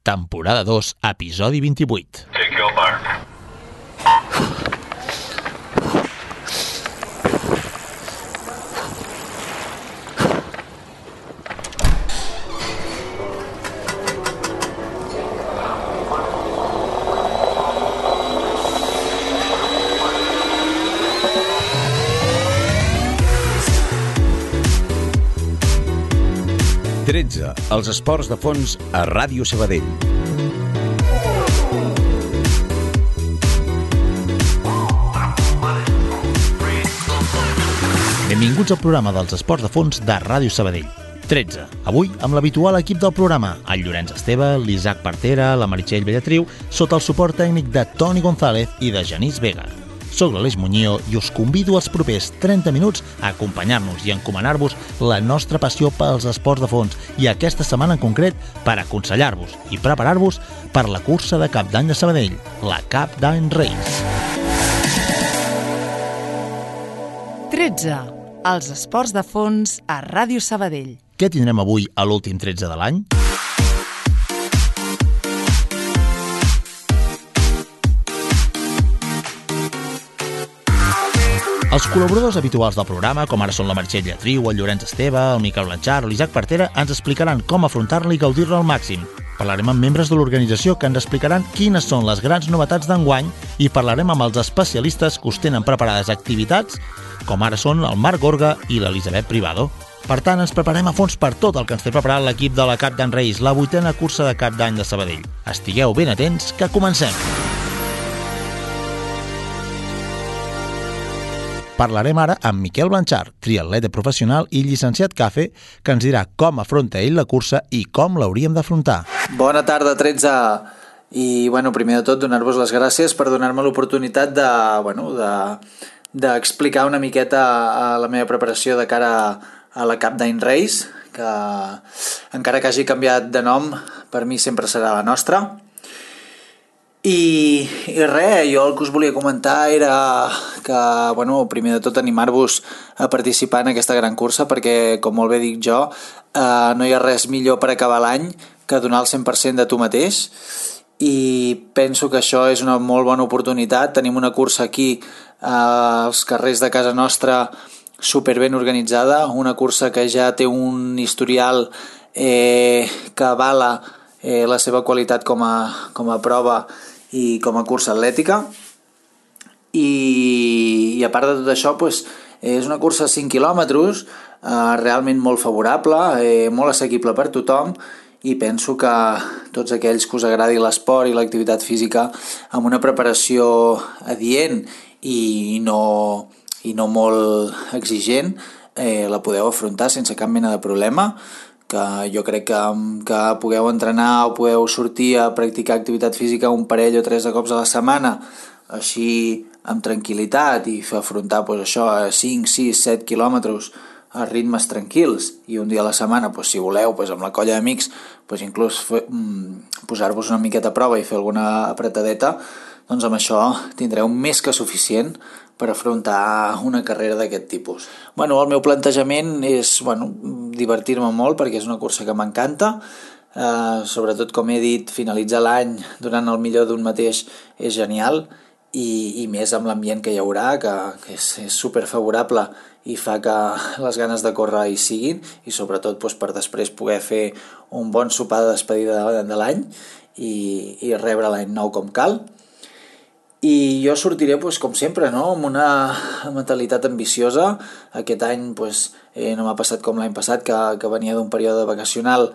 temporada 2, episodi 28. Take your mark. Els esports de fons a Ràdio Sabadell. Benvinguts al programa dels esports de fons de Ràdio Sabadell. 13. Avui amb l'habitual equip del programa, el Llorenç Esteve, l'Isaac Partera, la Meritxell Bellatriu, sota el suport tècnic de Toni González i de Genís Vega. Soc l'Aleix Muñoz i us convido als propers 30 minuts a acompanyar-nos i encomanar-vos la nostra passió pels esports de fons i aquesta setmana en concret per aconsellar-vos i preparar-vos per la cursa de Cap d'Any de Sabadell, la Cap d'Any Race. 13. Els esports de fons a Ràdio Sabadell. Què tindrem avui a l'últim 13 de l'any? Els col·laboradors habituals del programa, com ara són la Meritxell Bellatriu, el Llorenç Esteve, el Miquel Blanchard o l'Isaac Partera, ens explicaran com afrontar-la i gaudir-la al màxim. Parlarem amb membres de l'organització que ens explicaran quines són les grans novetats d'enguany i parlarem amb els especialistes que us tenen preparades activitats, com ara són el Marc Gorga i l'Elisabet Privado. Per tant, ens preparem a fons per tot el que ens té preparat l'equip de la Cap d'Any Race, la 8a cursa de Cap d'Any de Sabadell. Estigueu ben atents, que comencem! Parlarem ara amb Miquel Blanchard, triatleta professional i llicenciat CAFE, que ens dirà com afronta ell la cursa i com l'hauríem d'afrontar. Bona tarda, 13. I, primer de tot, donar-vos les gràcies per donar-me l'oportunitat d'explicar una miqueta la meva preparació de cara a la Cap d'Any Race, que encara que hagi canviat de nom, per mi sempre serà la nostra. I res, jo el que us volia comentar era que, primer de tot animar-vos a participar en aquesta gran cursa perquè, com molt bé dic jo, no hi ha res millor per acabar l'any que donar el 100% de tu mateix i penso que això és una molt bona oportunitat. Tenim una cursa aquí als carrers de casa nostra super ben organitzada, una cursa que ja té un historial que avala la seva qualitat com a prova i com a cursa atlètica i a part de tot això és una cursa de 5 quilòmetres realment molt favorable, molt assequible per tothom i penso que tots aquells que us agradi l'esport i l'activitat física amb una preparació adient i no molt exigent la podeu afrontar sense cap mena de problema, que jo crec que pugueu entrenar o podeu sortir a practicar activitat física un parell o 3 de cops a la setmana, així amb tranquil·litat i fer afrontar això a 5, 6, 7 quilòmetres a ritmes tranquils i un dia a la setmana, si voleu, amb la colla d'amics, inclús posar-vos una miqueta a prova i fer alguna apretadeta, doncs amb això tindreu més que suficient per afrontar una carrera d'aquest tipus. El meu plantejament és divertir-me molt perquè és una cursa que m'encanta, sobretot com he dit, finalitzar l'any donant el millor d'un mateix és genial i més amb l'ambient que hi haurà, que és super favorable i fa que les ganes de córrer hi siguin i sobretot per després poder fer un bon sopar de despedida de l'any i rebre l'any nou com cal. I jo sortiré, com sempre, amb una mentalitat ambiciosa. Aquest any no m'ha passat com l'any passat, que venia d'un període vacacional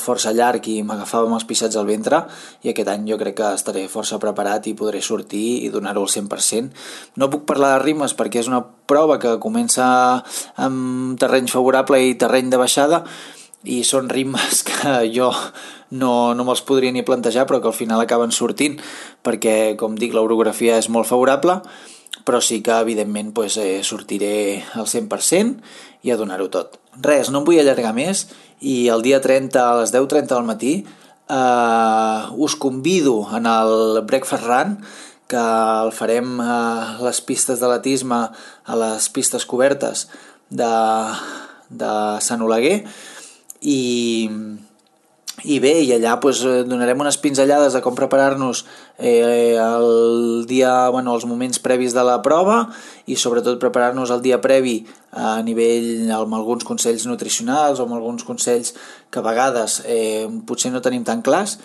força llarg i m'agafava amb els pixats al ventre, i aquest any jo crec que estaré força preparat i podré sortir i donar-ho al 100%. No puc parlar de ritmes perquè és una prova que comença amb terreny favorable i terreny de baixada, i són ritmes que jo no me'ls podria ni plantejar, però que al final acaben sortint perquè, com dic, l'orografia és molt favorable, però sí que evidentment sortiré al 100% i a donar-ho tot. Res, no em vull allargar més i el dia 30 a les 10:30 del matí us convido en el Breakfast Run, que el farem a les pistes d'atletisme, a les pistes cobertes de Sant Oleguer, i I bé, i allà doncs, donarem unes pinzellades de com preparar-nos el dia, els moments previs de la prova i sobretot preparar-nos el dia previ a nivell amb alguns consells nutricionals o amb alguns consells que a vegades potser no tenim tan clars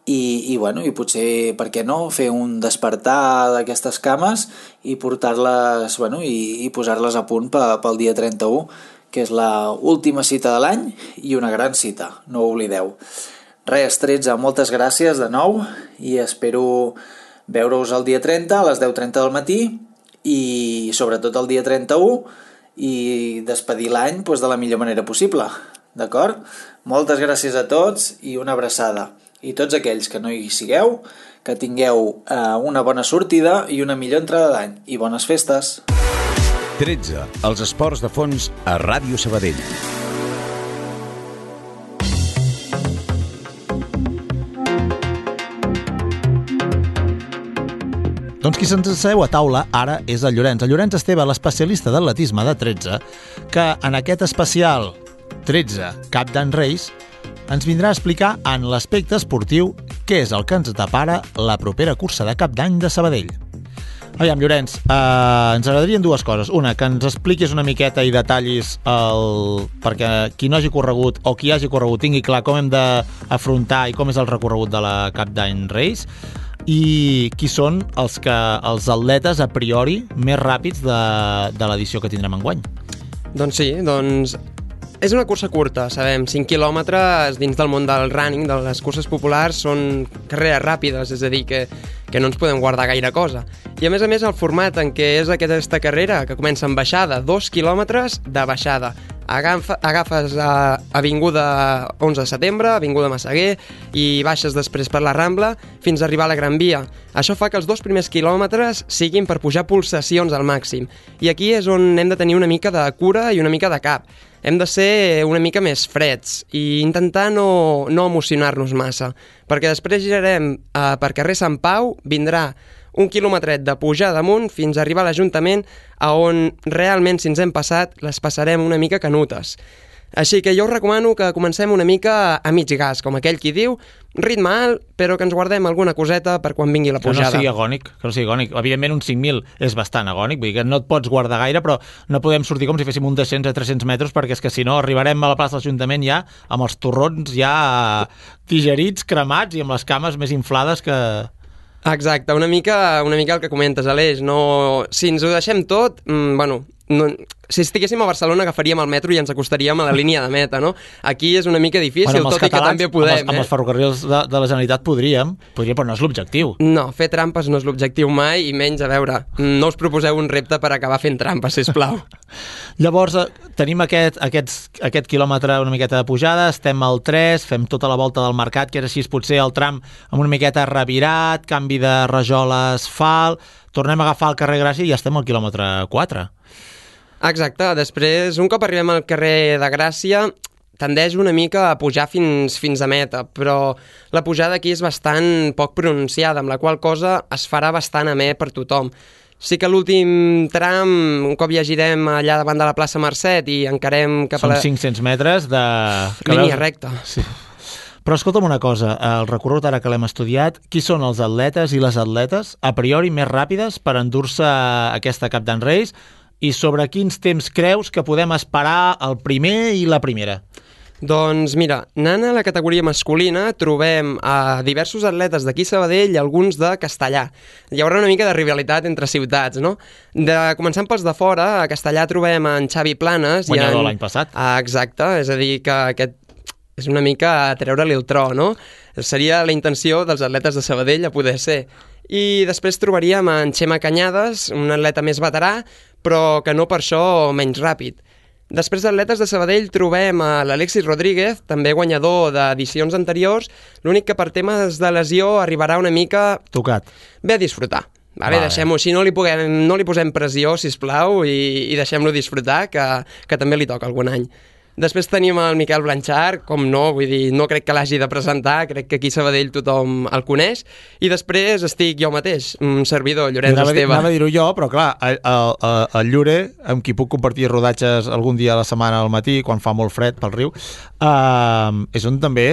i potser, per què no, fer un despertar d'aquestes cames i portar-les i posar-les a punt pel dia 31, que és l'última cita de l'any i una gran cita, no ho oblideu. Res, 13, moltes gràcies de nou i espero veure-us el dia 30 a les 10:30 del matí i sobretot el dia 31 i despedir l'any de la millor manera possible, d'acord? Moltes gràcies a tots i una abraçada. I tots aquells que no hi sigueu, que tingueu una bona sortida i una millor entrada d'any. I bones festes! 13. Els esports de fons a Ràdio Sabadell. Doncs qui se'ns asseu a taula ara és el Llorenç. El Llorenç Esteve, l'especialista d'atletisme de 13, que en aquest especial 13 Cap d'Any Reis ens vindrà a explicar en l'aspecte esportiu què és el que ens depara la propera cursa de Cap d'Any de Sabadell. Aviam, Llorenç, ens agradarien dues coses. Una, que ens expliquis una miqueta i detallis perquè qui no hagi corregut o qui hagi corregut tingui clar com hem d'afrontar i com és el recorregut de la Cap d'Any Reis i qui són els atletes a priori més ràpids de l'edició que tindrem enguany. Doncs sí, és una cursa curta, sabem, 5 quilòmetres dins del món del running, de les curses populars, són carreres ràpides, és a dir, que no ens podem guardar gaire cosa. I a més, el format en què és aquesta carrera, que comença amb baixada, 2 quilòmetres de baixada. Agafes Avinguda 11 de setembre, Avinguda Massaguer, i baixes després per la Rambla fins a arribar a la Gran Via. Això fa que els 2 primers quilòmetres siguin per pujar pulsacions al màxim. I aquí és on hem de tenir una mica de cura i una mica de cap. Hem de ser una mica més freds i intentar no emocionar-nos massa, perquè després girarem per carrer Sant Pau, vindrà un quilometret de pujar damunt fins a arribar a l'Ajuntament, on realment, si ens hem passat, les passarem una mica canutes. Així que jo us recomano que comencem una mica a mig gas, com aquell qui diu, ritme alt, però que ens guardem alguna coseta per quan vingui la pujada. Que no sigui agònic. Evidentment, un 5.000 és bastant agònic, vull dir que no et pots guardar gaire, però no podem sortir com si féssim un descens a 300 metres, perquè és que si no arribarem a la plaça de l'Ajuntament ja amb els torrons ja digerits, cremats i amb les cames més inflades que... Exacte, una mica el que comentes, Aleix. Si ens ho deixem tot, si estiguéssim a Barcelona agafaríem el metro i ens acostaríem a la línia de meta, no? Aquí és una mica difícil, tot i que també podem. Amb els ferrocarrils de la Generalitat podríem, però no és l'objectiu. No, fer trampes no és l'objectiu mai, i menys, a veure, no us proposeu un repte per acabar fent trampes, sisplau. Llavors, tenim aquest quilòmetre una miqueta de pujada, estem al 3, fem tota la volta del mercat, que és així potser el tram amb una miqueta revirat, canvi de rajola a asfalt, tornem a agafar el carrer Gràcia i ja estem al quilòmetre 4. Exacte, després, un cop arribem al carrer de Gràcia, tendeix una mica a pujar fins a meta, però la pujada aquí és bastant poc pronunciada, amb la qual cosa es farà bastant amè per tothom. Sí que l'últim tram, un cop ja girem allà davant de la plaça Mercet i encarem cap a la... Són 500 metres de... línia recta. Sí. Però escolta'm una cosa, el recorregut ara que l'hem estudiat, qui són els atletes i les atletes a priori més ràpides per endur-se aquesta Cap d'Any Reis i sobre quins temps creus que podem esperar el primer i la primera? Doncs mira, anant a la categoria masculina trobem a diversos atletes d'aquí Sabadell i alguns de Castellà. Hi haurà una mica de rivalitat entre ciutats, no? Començant pels de fora, a Castellà trobem en Xavi Planes. Guanyador l'any passat. Exacte, és a dir que aquest és una mica a treure-li el tro, no? Seria la intenció dels atletes de Sabadell a poder ser. I després trobaríem en Xema Cañades, un atleta més veterà, però que no per això menys ràpid. Després d'atletes de Sabadell trobem a l'Alexis Rodríguez, també guanyador d'edicions anteriors, l'únic que per temes de lesió arribarà una mica... Tocat. Bé a disfrutar. Vale. Deixem-ho així, no li posem pressió, sisplau, i deixem-lo disfrutar, que també li toca algun any. Després tenim el Miquel Blanchard, com no, vull dir, no crec que l'hagi de presentar, crec que aquí a Sabadell tothom el coneix, i després estic jo mateix, un servidor, Llorenç Esteve. Anava a dir-ho jo, però clar, el Llure, amb qui puc compartir rodatges algun dia a la setmana al matí, quan fa molt fred pel riu, és un també,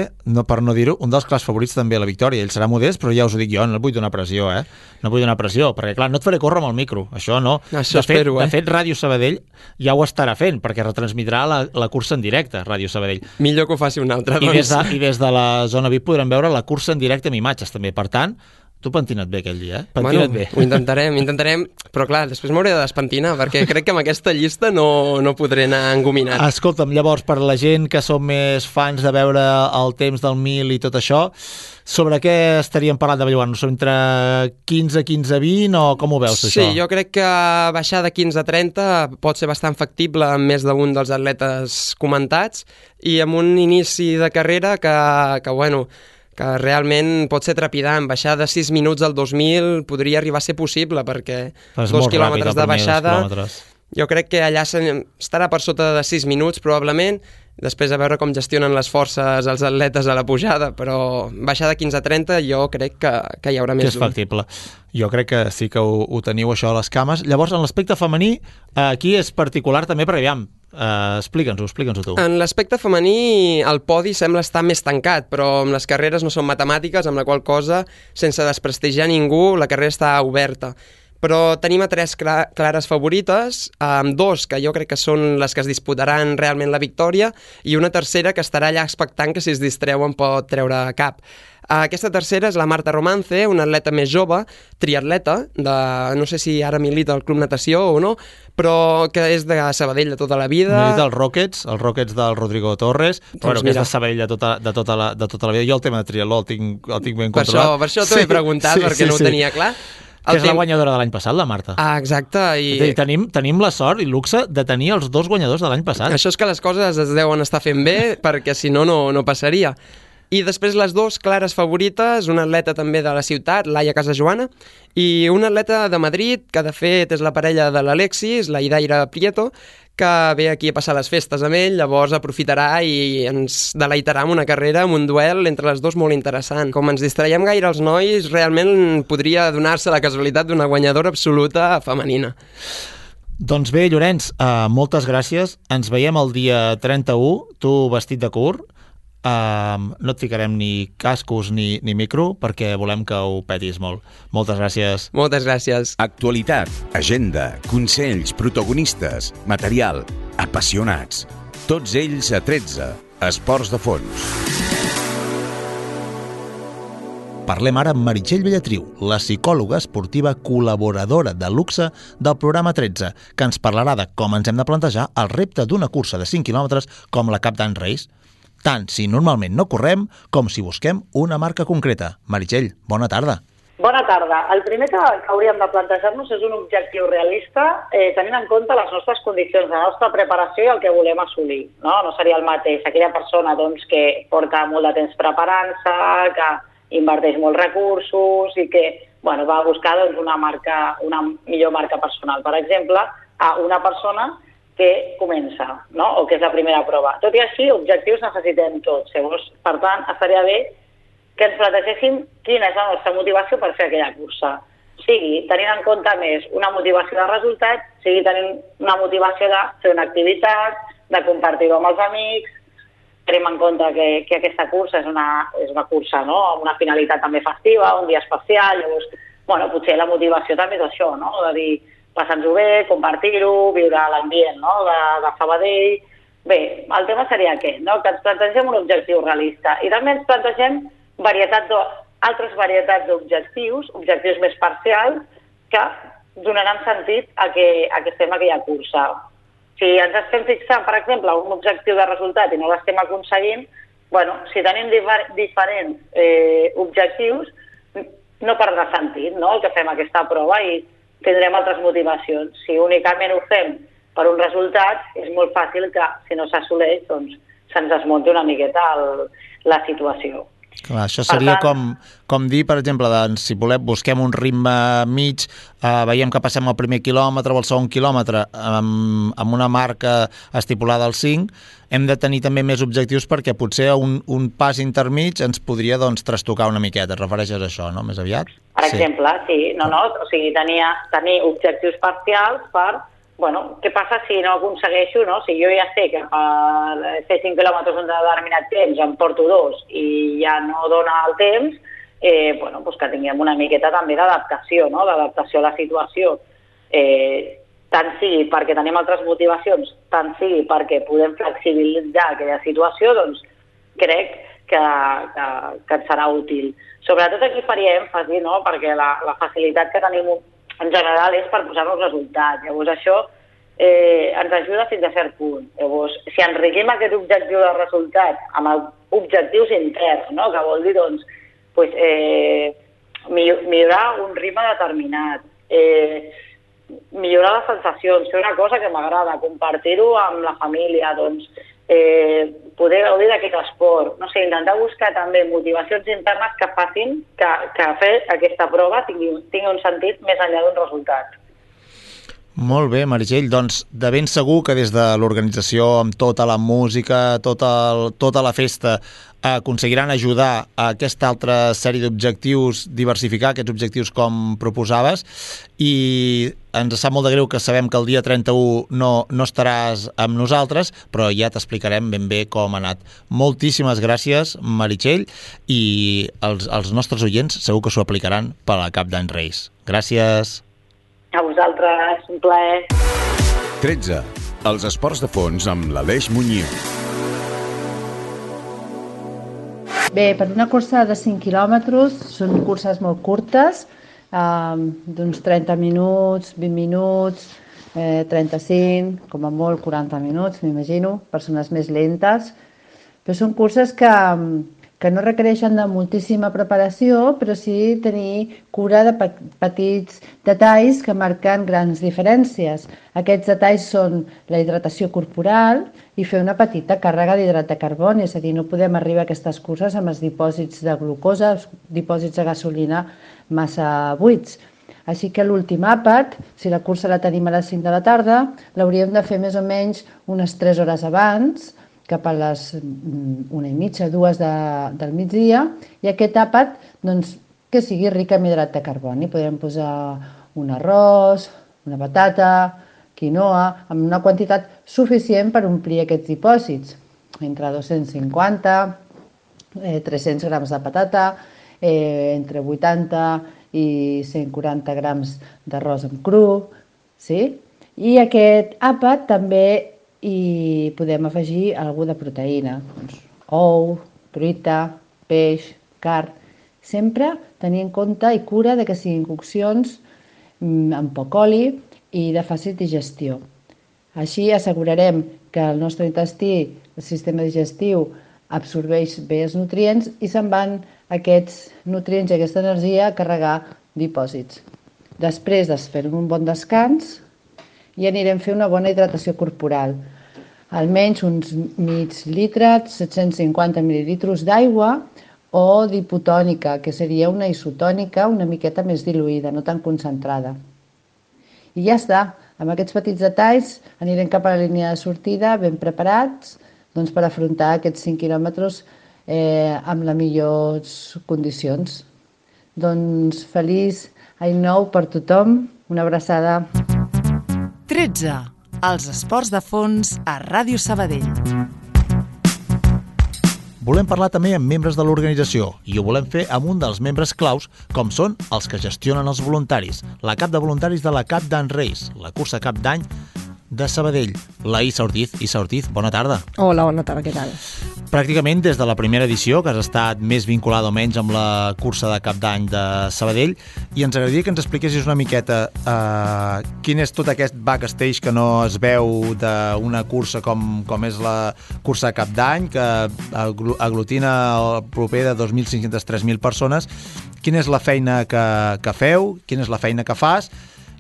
per no dir-ho, un dels clars favorits també a la victòria. Ell serà modest, però ja us ho dic jo, no vull donar pressió, No vull donar pressió, perquè clar, no et faré córrer amb el micro, això no. Això espero, De fet, Ràdio Sabadell ja ho estarà fent, perquè retransmitrà la cursa en directe, Ràdio Sabadell. Millor que ho faci un altre, doncs. I des de la zona VIP podrem veure la cursa en directe amb imatges, també. Per tant, tu pentina't bé aquell dia, Pentina't bé. Ho intentarem, però clar, després m'hauré de despentinar, perquè crec que amb aquesta llista no podré anar engominat. Escolta'm, llavors, per la gent que som més fans de veure el temps del 1000 i tot això, sobre què estaríem parlant de Belluant? Entre 15, 15, 20 o com ho veus, això? Sí, jo crec que baixar de 15 a 30 pot ser bastant factible amb més d'un dels atletes comentats i amb un inici de carrera que realment pot ser trepidant. Baixar de 6 minuts al 2000 podria arribar a ser possible, perquè 2 quilòmetres de baixada, jo crec que allà estarà per sota de 6 minuts, probablement, després a veure com gestionen les forces els atletes a la pujada, però baixar de 15 a 30 jo crec que hi haurà més d'un. Que és factible. Jo crec que sí que ho teniu, això, a les cames. Llavors, en l'aspecte femení, aquí és particular també, perquè aviam, explica'ns-ho tu. En l'aspecte femení el podi sembla estar més tancat, però amb les carreres no són matemàtiques, amb la qual cosa, sense desprestigiar ningú, la carrera està oberta. Però tenim a 3 clares favorites, amb 2 que jo crec que són les que es disputaran realment la victòria i una tercera que estarà allà expectant que si es distreu en pot treure cap. Aquesta tercera és la Marta Romance, una atleta més jove, triatleta, no sé si ara milita al Club Natació o no, però que és de Sabadell de tota la vida. Milita els Rockets del Rodrigo Torres, però que és de Sabadell de tota la vida. Jo el tema de triatló el tinc ben controlat. Per això t'ho he preguntat, perquè no ho tenia clar. Que és la guanyadora de l'any passat, la Marta. Exacte. Tenim la sort i luxe de tenir els 2 guanyadors de l'any passat. Això és que les coses es deuen estar fent bé, perquè si no passaria. I després les 2 clares favorites, una atleta també de la ciutat, Laia Casajoana, i una atleta de Madrid, que de fet és la parella de l'Alexis, la Idaira Prieto, que ve aquí a passar les festes amb ell, llavors aprofitarà i ens deleitarà amb una carrera, amb un duel entre les 2 molt interessant. Com ens distraiem gaire els nois, realment podria donar-se la casualitat d'una guanyadora absoluta femenina. Doncs bé, Llorenç, moltes gràcies. Ens veiem el dia 31, tu vestit de curt. No et ficarem ni cascos ni micro perquè volem que ho petis molt. Moltes gràcies. Moltes gràcies. Actualitat, agenda, consells, protagonistes, material, apassionats. Tots ells a 13, Esports de Fons. Parlem ara amb Meritxell Bellatriu, la psicòloga esportiva col·laboradora de luxe del programa 13, que ens parlarà de com ens hem de plantejar el repte d'una cursa de 5 quilòmetres com la Cap d'Any Race, tant si normalment no correm com si busquem una marca concreta. Meritxell, bona tarda. Bona tarda. El primer que hauríem de plantejar-nos és un objectiu realista tenint en compte les nostres condicions, la nostra preparació i el que volem assolir. No seria el mateix aquella persona que porta molt de temps preparant-se, que inverteix molts recursos i que va a buscar una millor marca personal, per exemple, a una persona que comença, o que és la primera prova. Tot i així, objectius necessitem tots. Llavors, per tant, estaria bé que ens plantegéssim quina és la nostra motivació per fer aquella cursa. Sigui tenint en compte més una motivació de resultat, sigui tenint una motivació de fer una activitat, de compartir-ho amb els amics. Tenim en compte que aquesta cursa és una cursa amb una finalitat també festiva, un dia especial. Llavors, potser la motivació també és això, de dir passar-nos-ho bé, compartir-ho, viure l'ambient de Sabadell. Bé, el tema seria aquest, que ens plantegem un objectiu realista i també ens plantegem altres varietats d'objectius, objectius més parcials, que donaran sentit a que fem aquella cursa. Si ens estem fixant, per exemple, un objectiu de resultat i no l'estem aconseguint, si tenim diferents objectius, no perdrà sentit el que fem aquesta prova i tindrem altres motivacions. Si únicament ho fem per un resultat, és molt fàcil que, si no s'assoleix, se'ns desmunti una miqueta la situació. Clar, això seria com dir, per exemple, doncs, si volem, busquem un ritme mig, veiem que passem el primer quilòmetre o el segon quilòmetre amb una marca estipulada al 5, hem de tenir també més objectius perquè potser un pas intermig ens podria doncs, trastocar una miqueta. Et refereixes a això, no? Més aviat? Per exemple, sí. O sigui, tenir objectius parcials per... Bueno, què passa si no aconsegueixo, no? Si jo ja sé que per fer 5 quilòmetres un determinat temps em porto 2 i ja no dona el temps, bueno, doncs que tinguem una miqueta també d'adaptació, no? D'adaptació a la situació. Tant sigui perquè tenim altres motivacions, tant sigui perquè podem flexibilitzar aquella situació, doncs crec que ens serà útil. Sobretot aquí faria èmfasi, no? Perquè la facilitat que tenim en general és per posar-nos resultats. Llavors això ens ajuda fins a cert punt. Llavors, si enriquim aquest objectiu de resultat amb objectius interns, no? Que vol dir doncs, millorar un ritme determinat, millorar les sensacions, fer una cosa que m'agrada, compartir-ho amb la família, doncs, poder gaudir d'aquest esport, no sé, intentar buscar també motivacions internes que facin que fer aquesta prova tingui un sentit més enllà d'un resultat. Molt bé, Meritxell, doncs de ben segur que des de l'organització, amb tota la música, tota la festa, aconseguiran ajudar a aquesta altra sèrie d'objectius, diversificar aquests objectius com proposaves, i ens sap molt de greu que sabem que el dia 31 no estaràs amb nosaltres, però ja t'explicarem ben bé com ha anat. Moltíssimes gràcies, Meritxell, i els nostres oients segur que s'ho aplicaran per a Cap d'Any Reis. Gràcies. A vosaltres, un plaer. 13. Els esports de fons amb l'Aleix Muñoz. Bé, per una cursa de 5 quilòmetres són curses molt curtes, d'uns 30 minuts, 20 minuts, 35, com a molt 40 minuts, m'imagino, persones més lentes. Però són curses que no requereixen de moltíssima preparació, però sí tenir cura de petits detalls que marquen grans diferències. Aquests detalls són la hidratació corporal i fer una petita càrrega d'hidrat de carboni, és a dir, no podem arribar a aquestes curses amb els dipòsits de glucosa, els dipòsits de gasolina massa buits. Així que l'últim àpat, si la cursa la tenim a les 5 de la tarda, l'hauríem de fer més o menys unes 3 hores abans, cap a les 1:30, 2 del migdia, i aquest àpat doncs, que sigui ric en hidrat de carboni. Podem posar un arròs, una patata, quinoa, amb una quantitat suficient per omplir aquests dipòsits, entre 250 300 grams de patata, entre 80 i 140 grams d'arròs amb cru, sí? I aquest àpat també i podem afegir alguna de proteïna, doncs, ou, truita, peix, carn, sempre tenir en compte i cura de que siguin coccions amb poc oli i de fàcil digestió. Així assegurarem que el nostre intestí, el sistema digestiu, absorbeix bé els nutrients i se'n van aquests nutrients i aquesta energia a carregar dipòsits. Després de fer un bon descans, i anirem a fer una bona hidratació corporal. Almenys uns mig litre, 750 mil·lilitres d'aigua o d'hipotònica, que seria una isotònica una miqueta més diluïda, no tan concentrada. I ja està, amb aquests petits detalls anirem cap a la línia de sortida ben preparats doncs, per afrontar aquests 5 quilòmetres amb les millors condicions. Doncs feliç any nou per tothom, una abraçada. 13. Els esports de fons a Ràdio Sabadell. Volem parlar també amb membres de l'organització i ho volem fer amb un dels membres claus, com són els que gestionen els voluntaris, la cap de voluntaris de la Cap d'Any Reis, la cursa Cap d'Any de Sabadell, la Isa Ortiz. Isa Ortiz, bona tarda. Hola, bona tarda, què tal? Pràcticament des de la primera edició, que has estat més vinculada o menys amb la cursa de Cap d'Any de Sabadell, i ens agradaria que ens expliquessis una miqueta quin és tot aquest backstage que no es veu d'una cursa com és la cursa de Cap d'Any, que aglutina el proper de 2.500-3.000 persones. Quina és la feina que feu, quina és la feina que fas,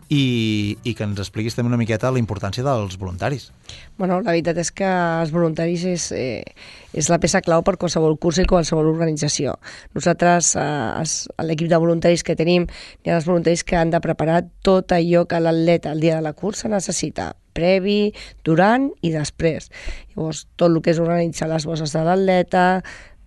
i que ens expliquis també una miqueta la importància dels voluntaris. Bueno, la veritat és que els voluntaris és la peça clau per qualsevol curs i qualsevol organització. Nosaltres, a l'equip de voluntaris que tenim, hi ha els voluntaris que han de preparar tot allò que l'atleta el dia de la cursa necessita, previ, durant i després. Llavors, tot el que és organitzar les bosses de l'atleta,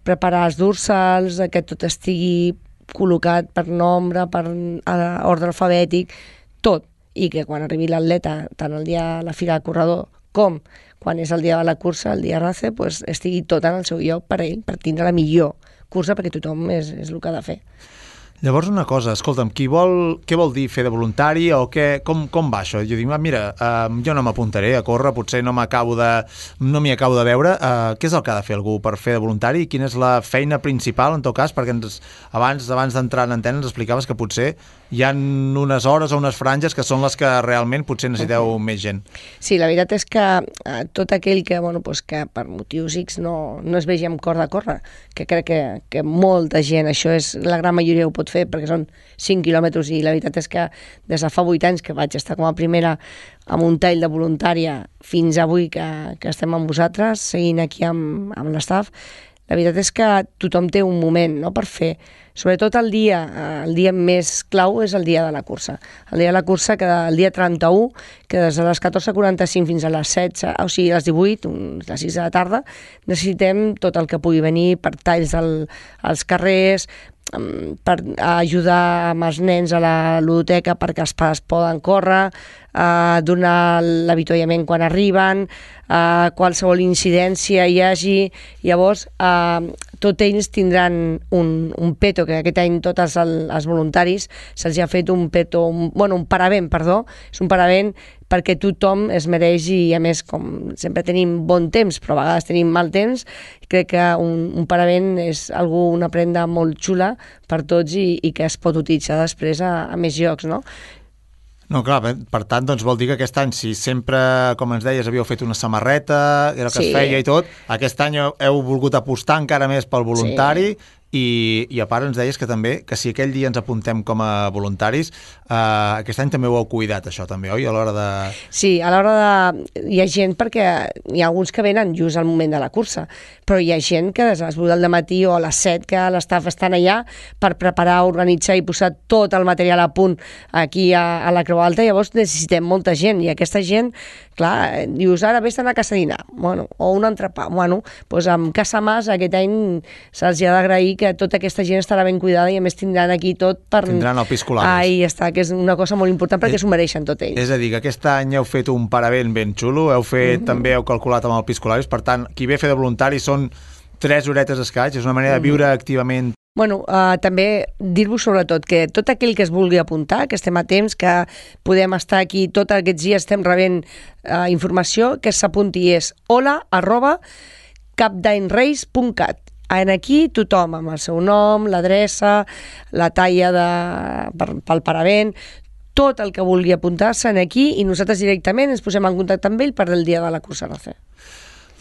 preparar els dorsals, que tot estigui col·locat per nombre, per ordre alfabètic, tot. I que quan arribi l'atleta, tant el dia de la fira de corredor com quan és el dia de la cursa, el dia RACE, pues, estigui tot en el seu lloc per ell, per tindre la millor cursa, perquè tothom és el que ha de fer. Llavors, una cosa, escolta'm, què vol dir fer de voluntari o com va això? Jo dic, mira, jo no m'apuntaré a córrer, potser no m'hi acabo de veure. Què és el que ha de fer algú per fer de voluntari i quina és la feina principal, en tot cas, perquè abans d'entrar en antena ens explicaves que potser hi ha unes hores o unes franges que són les que realment potser necessiteu més gent. Sí, la veritat és que tot aquell que, que per motius X no es vegi amb cor de córrer, que crec que molta gent, això és la gran majoria ho pot fer, perquè són 5 quilòmetres i la veritat és que des de fa 8 anys que vaig estar com a primera amb un tall de voluntària fins avui que estem amb vosaltres, seguint aquí amb l'estaf, la veritat és que tothom té un moment, no?, per fer. Sobretot el dia més clau és el dia de la cursa. El dia de la cursa, que el dia 31, que des de les 14:45 fins a les 16, o sigui, a les 18, les 6 de la tarda, necessitem tot el que pugui venir per talls als carrers, per ajudar amb els nens a la ludoteca perquè els pares poden córrer, donar l'avituallament quan arriben, qualsevol incidència hi hagi. Llavors, tots ells tindran un peto, que aquest any tots els voluntaris se'ls ha fet un peto, un paravent, perdó, és un paravent perquè tothom es mereix i, a més, com sempre tenim bon temps, però a vegades tenim mal temps, crec que un paravent és una prenda molt xula per tots i que es pot utilitzar després a més llocs, no? No, clar, per tant, doncs vol dir que aquest any, si sempre, com ens deies, havíeu fet una samarreta, era el que es feia i tot, aquest any heu volgut apostar encara més pel voluntari i a part ens deies que també, que si aquell dia ens apuntem com a voluntaris, aquest any també ho heu cuidat, això també, oi? A l'hora de... Sí, a l'hora de... Hi ha gent, perquè hi ha alguns que venen just al moment de la cursa, però hi ha gent que des de les 8 del matí o a les 7 que l'estaf estan allà per preparar, organitzar i posar tot el material a punt aquí a la Creu Alta. Llavors necessitem molta gent i aquesta gent, clar, dius, ara vés-te'n a casa a dinar, o un entrepà. Doncs amb Casa Mas aquest any se'ls ha d'agrair que tota aquesta gent estarà ben cuidada i a més tindran aquí tot per... Tindran el piscolabis. Ahí està, que és una cosa molt important perquè s'ho mereixen tot ells. És a dir, que aquest any heu fet un paravent ben xulo, també heu calculat amb el piscolabis, per tant, qui ve a fer de voluntari són 3 horetes escaig, és una manera de viure activament. També dir-vos sobretot que tot aquell que es vulgui apuntar, que estem a temps, que podem estar aquí tots aquests dies, estem rebent informació, que s'apunti és hola@capdainrace.cat. Aquí tothom amb el seu nom, l'adreça, la talla pel paravent, tot el que vulgui apuntar-se aquí i nosaltres directament ens posem en contacte amb ell per el dia de la cursa RACE.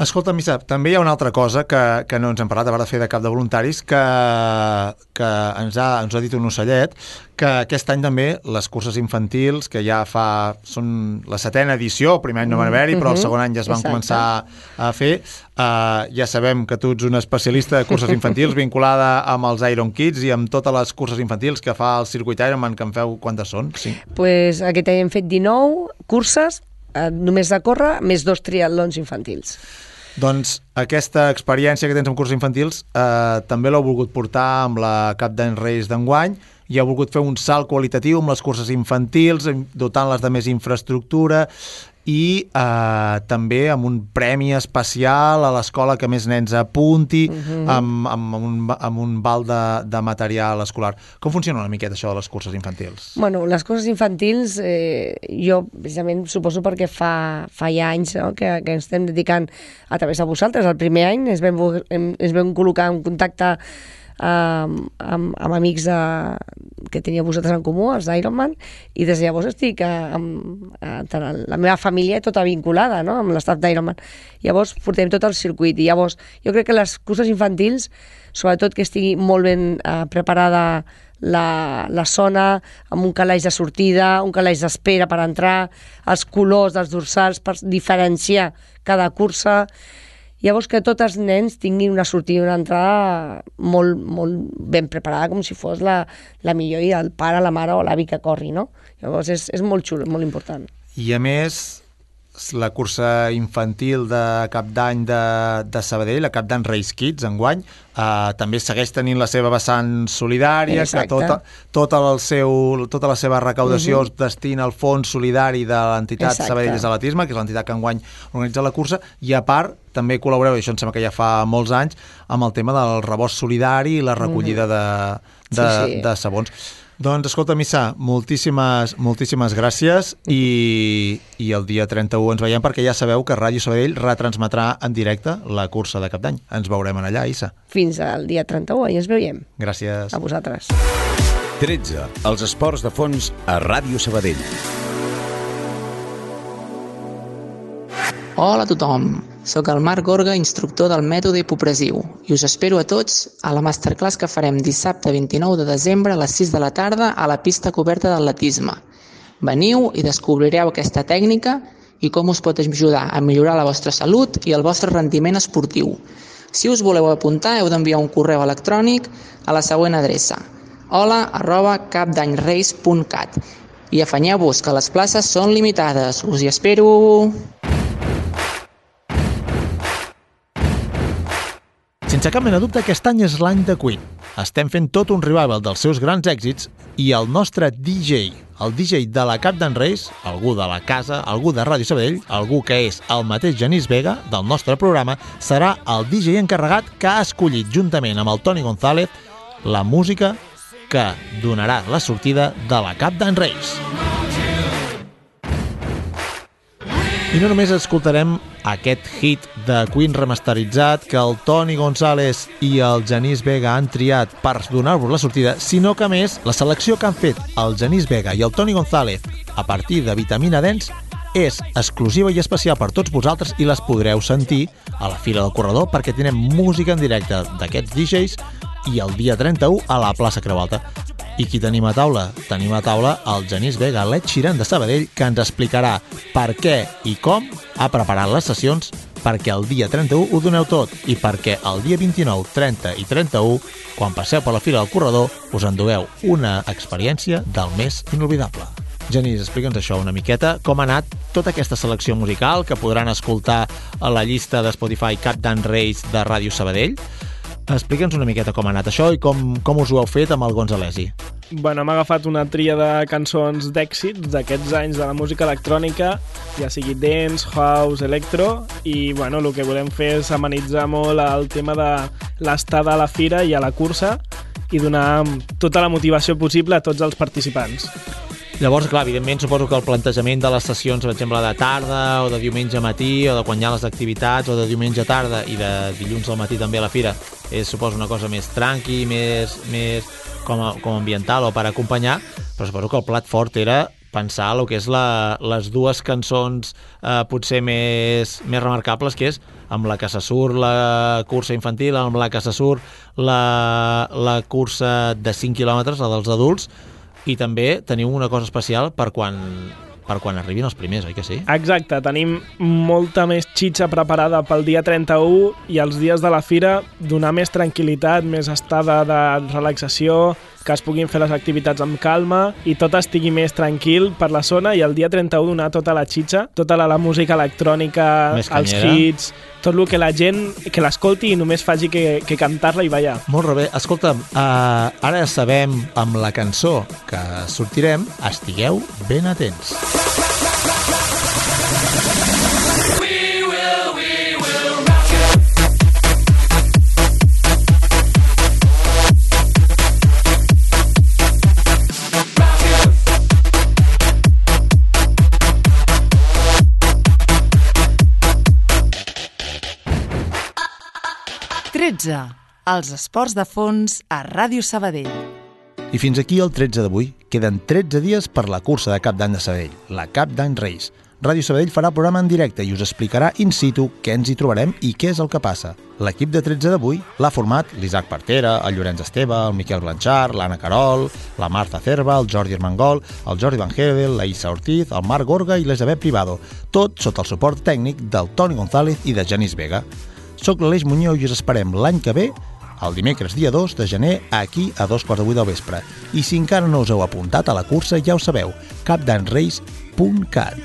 Escolta, Missa, també hi ha una altra cosa que no ens hem parlat a part de fer de cap de voluntaris, que ens ha dit un ocellet, que aquest any també les curses infantils, que ja són la 7ª edició, el primer any no van haver-hi, però el segon any ja es van començar a fer. Ja sabem que tu ets un especialista de curses infantils vinculada amb els Iron Kids i amb totes les curses infantils que fa el circuit Ironman, que en feu quantes són? Sí. Pues aquest any hem fet 19 curses, només de córrer, més 2 triatlons infantils. Doncs aquesta experiència que tens amb curses infantils també l'heu volgut portar amb la Cap d'Any Reis d'enguany i heu volgut fer un salt qualitatiu amb les curses infantils, dotant-les de més infraestructura i també amb un premi especial a l'escola que més nens apunti, amb un val de material escolar. Com funciona una miqueta això de les curses infantils? Les curses infantils, jo precisament suposo perquè fa ja anys que ens estem dedicant a través de vosaltres. El primer any ens vam col·locar en contacte amb amics que teníeu vosaltres en comú, els Ironman, i des de llavors estic la meva família tota vinculada, no?, amb l'estaf d'Ironman. Llavors portem tot el circuit, i llavors jo crec que les curses infantils, sobretot que estigui molt ben preparada la zona, amb un calaix de sortida, un calaix d'espera per entrar, els colors dels dorsals per diferenciar cada cursa. Llavors que tots els nens tinguin una sortida i una entrada molt, molt ben preparada, com si fos la millor, i el pare, la mare o l'avi que corri, no? Llavors és molt xulo, molt important. I a més, la cursa infantil de Cap d'Any de Sabadell, la Cap d'Any Race Kids, enguany, també segueix tenint la seva vessant solidària, exacte, que tota la seva recaudació es destina al fons solidari de l'entitat Sabadell Atletisme, que és l'entitat que enguany organitza la cursa, i a part també col·laboreu, i això em sembla que ja fa molts anys, amb el tema del rebost solidari i la recollida de sabons. Doncs, escolta, Missa, moltíssimes gràcies, i el dia 31 ens veiem, perquè ja sabeu que Ràdio Sabadell retransmetrà en directe la cursa de Cap d'Any. Ens veurem allà, Issa. Fins al dia 31 i ens veiem. Gràcies. A vosaltres. 13. Els esports de fons a Ràdio Sabadell. Hola a tothom, soc el Marc Gorga, instructor del mètode hipopressiu, i us espero a tots a la masterclass que farem dissabte 29 de desembre a les 6 de la tarda a la pista coberta d'atletisme. Veniu i descobrireu aquesta tècnica i com us pot ajudar a millorar la vostra salut i el vostre rendiment esportiu. Si us voleu apuntar, heu d'enviar un correu electrònic a la següent adreça: hola@capdanyrace.cat, i afanyeu-vos que les places són limitades. Us hi espero! Sense cap mena de dubte, aquest any és l'any de Queen. Estem fent tot un revival dels seus grans èxits, i el nostre DJ, el DJ de la Cap d'Any Race, algú de la casa, algú de Ràdio Sabadell, algú que és el mateix Genís Vega del nostre programa, serà el DJ encarregat que ha escollit, juntament amb el Toni González, la música que donarà la sortida de la Cap d'Any Race. I no només escoltarem aquest hit de Queen remasteritzat que el Toni González i el Genís Vega han triat per donar-vos la sortida, sinó que, a més, la selecció que han fet el Genís Vega i el Toni González a partir de Vitamina Dance és exclusiva i especial per tots vosaltres, i les podreu sentir a la Fira del Corredor, perquè tenim música en directe d'aquests DJs, i el dia 31 a la plaça Creu Alta. I qui tenim a taula? Tenim a taula el Genís Vega, l'Ed Sheeran de Sabadell, que ens explicarà per què i com ha preparat les sessions perquè el dia 31 ho doneu tot, i perquè el dia 29, 30 i 31, quan passeu per la Fira del Corredor, us endugueu una experiència del més inolvidable. Genís, explica'ns això una miqueta, com ha anat tota aquesta selecció musical que podran escoltar a la llista de Spotify Cap d'Any Race de Ràdio Sabadell. Explica'ns una miqueta com ha anat això i com us ho heu fet amb el Gonzalesi. Bueno, hem agafat una tria de cançons d'èxits d'aquests anys de la música electrònica, ja sigui dance, house, electro, i bueno, el que volem fer és amenitzar molt el tema de l'estada a la fira i a la cursa i donar tota la motivació possible a tots els participants. Llavors, clar, evidentment, suposo que el plantejament de les sessions, per exemple, de tarda o de diumenge matí, o de quan hi ha les activitats, o de diumenge tarda i de dilluns al matí també a la fira, és, suposo, una cosa més tranqui, més com ambiental o per acompanyar, però suposo que el plat fort era pensar el que és les dues cançons potser més remarcables, que és amb la que se surt la cursa infantil, amb la que se surt la cursa de 5 quilòmetres, la dels adults, i també teniu una cosa especial per quan arribin els primers, oi que sí? Exacte, tenim molta més xitxa preparada pel dia 31 i els dies de la fira, donar més tranquil·litat, més estada de relaxació, que es puguin fer les activitats amb calma i tot estigui més tranquil per la zona, i el dia 31 donar tota la xitxa, tota la música electrònica, els hits, tot el que la gent que l'escolti i només faci que cantar-la i ballar. Molt bé. Escolta'm, ara sabem amb la cançó que sortirem, estigueu ben atents. 13. Els esports de fons a Ràdio Sabadell. I fins aquí el 13 d'avui. Queden 13 dies per la cursa de Cap d'Any de Sabadell, la Cap d'Any Reis. Ràdio Sabadell farà el programa en directe i us explicarà in situ què ens hi trobarem i què és el que passa. L'equip de 13 d'avui l'ha format l'Isaac Partera, el Llorenç Esteve, el Miquel Blanchard, l'Anna Carol, la Marta Cerva, el Jordi Armengol, el Jordi Van Hedel, la Issa Ortiz, el Marc Gorga i l'Elisabet Privado, tot sota el suport tècnic del Toni González i de Genís Vega. Soc l'Aleix Muñoz i us esperem l'any que ve, el dimecres dia 2 de gener, aquí a 2:15 del vespre. I si encara no us heu apuntat a la cursa, ja ho sabeu, capdanreis.cat.